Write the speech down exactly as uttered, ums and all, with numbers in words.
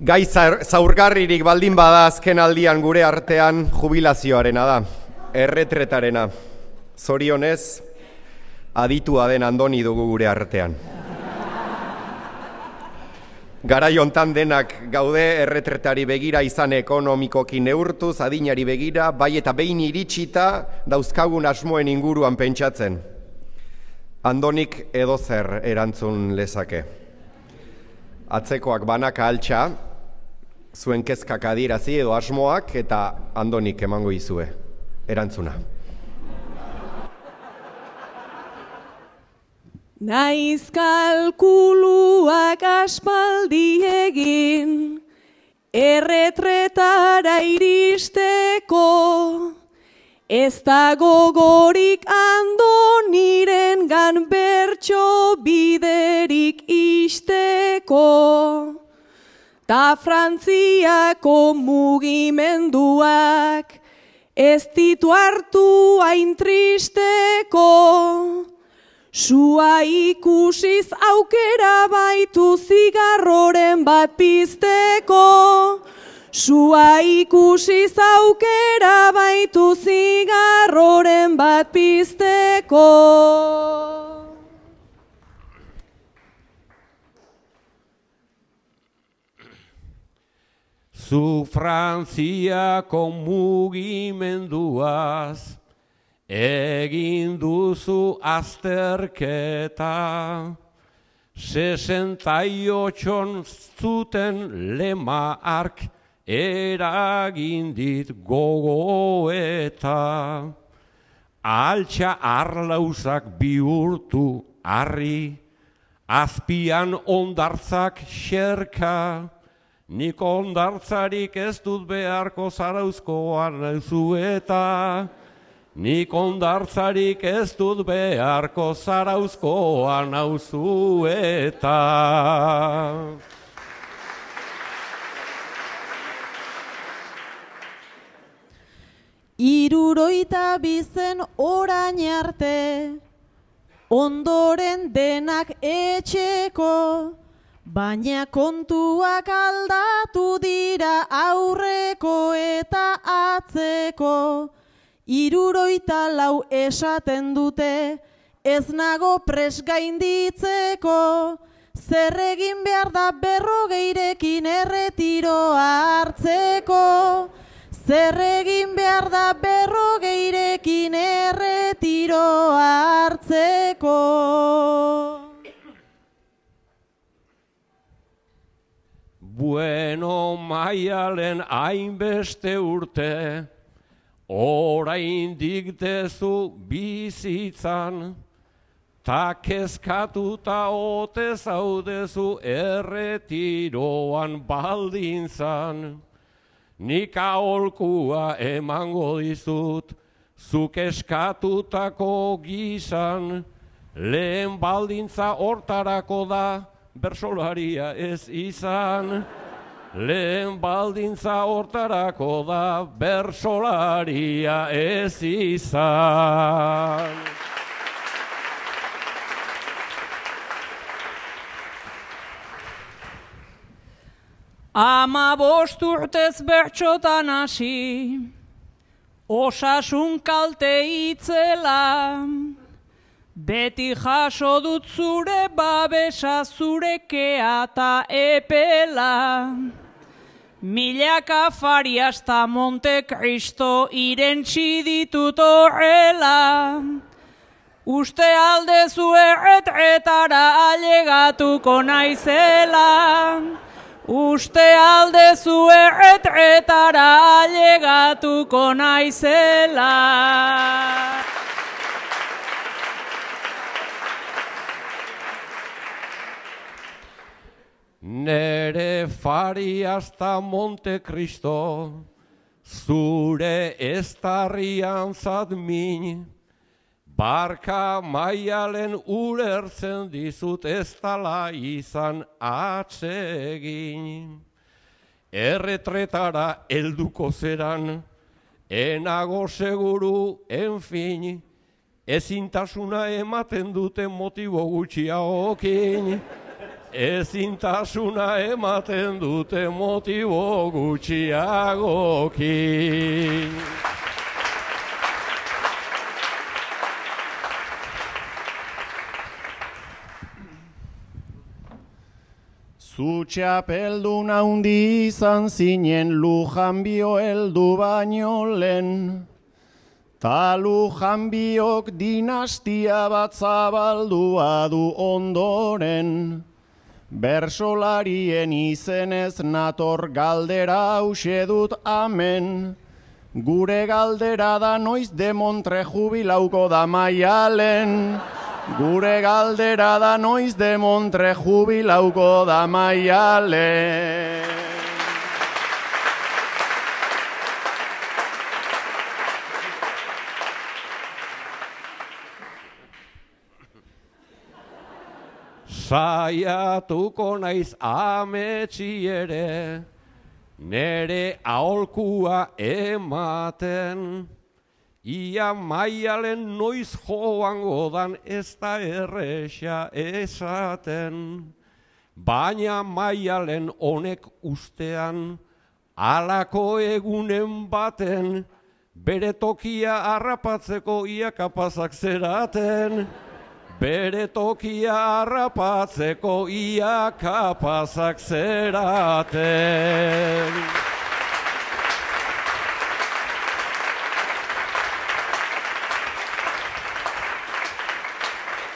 Gai zaurgarririk baldin bada azken aldian gure artean jubilazioarena da, erretretarena. Zorionez, aditua den Andoni dugu gure artean. Garai hontan denak gaude erretretari begira izan ekonomikoki neurtuz, adinari begira, bai eta behin iritsita dauzkagun asmoen inguruan pentsatzen. Andonik edozer erantzun lezake. Atzekoak banaka altxa, zuen kezkak adierazi edo asmoak, eta Andonik emango izue erantzuna. Naiz kalkuluak aspaldi egin, erretretara iristeko, ez da gogorik Andoniren gan bertso biderik isteko. Ta Frantziako mugimenduak ez ditu hartu hain tristeko. Sua ikusiz aukera baitu zigarroren bat pizteko. Sua ikusiz aukera baitu zigarroren bat pizteko. Zu Frantziako mugimenduaz egin duzu azterketa, sesentaiottxon zuten lema ark eragin dit gogoeta. Altxa arlauzak bihurtu harri, azpian ondartzak xerka, nik ondartzarik ez dut beharko zarauzkoan nauzueta. Nik ondartzarik ez dut beharko zarauzkoa nauzueta. Hirurogeita bizen orain arte, ondoren denak etxeko, baina kontuak aldatu dira aurreko eta atzeko. Hirurogeita lau esaten dute, ez nago pres gainditzeko, zer egin behar da berrogeirekin erretiroa hartzeko. Zer egin behar da berrogeirekin erretiroa hartzeko. Bueno, Maialen hainbeste urte, oraindik dezu bizitzan, ta kezkatuta ote zaudezu erretiroan baldintzan. Nik aholkua emango dizut, zuk eskatutako gizan, lehen baldintza hortarako da bersolaria ez izan. Lehen baldintza hortarako da bersolaria ez izan. Ama bost urtez bertxotan hasi, osasun kalte itzela, beti jaso dut zure babesa, zure kea eta epela. Milaka Farias ta Monte Cristo irentsi ditut horrela. Uste aldezu erretretara ailegatuko naizela. Uste aldezu erretretara ailegatuko naizela. Nere Farias ta Monte Cristo, zure eztarrian zadmin, barka Maialen ulertzen dizut ez dala izan atsegin. Erretretara helduko zeran, enago seguru, enfin, ezintasuna ematen dute motibo gutxiagokin. ezintasuna ematen dute motibo gutxiagokin. Zu txapeldun haundi izan zinen Lujan bio heldu baino lehen, ta Lujan biok dinastia bat zabaldua du ondoren. Bersolarien izenez nator galdera hause dut amen. Gure galdera da noiz demontre jubilauko da Maialen. Gure galdera da noiz demontre jubilauko da Maialen. Saiatuko naiz ametsi ere, nere aholkua ematen. Ia Maialen noiz joango dan ez da erresa esaten. Baina Maialen honek ustean, halako egunen baten, bere tokia harrapatzeko ia kapazak zeraten. Bere tokia harrapatzeko ia kapazak zeraten.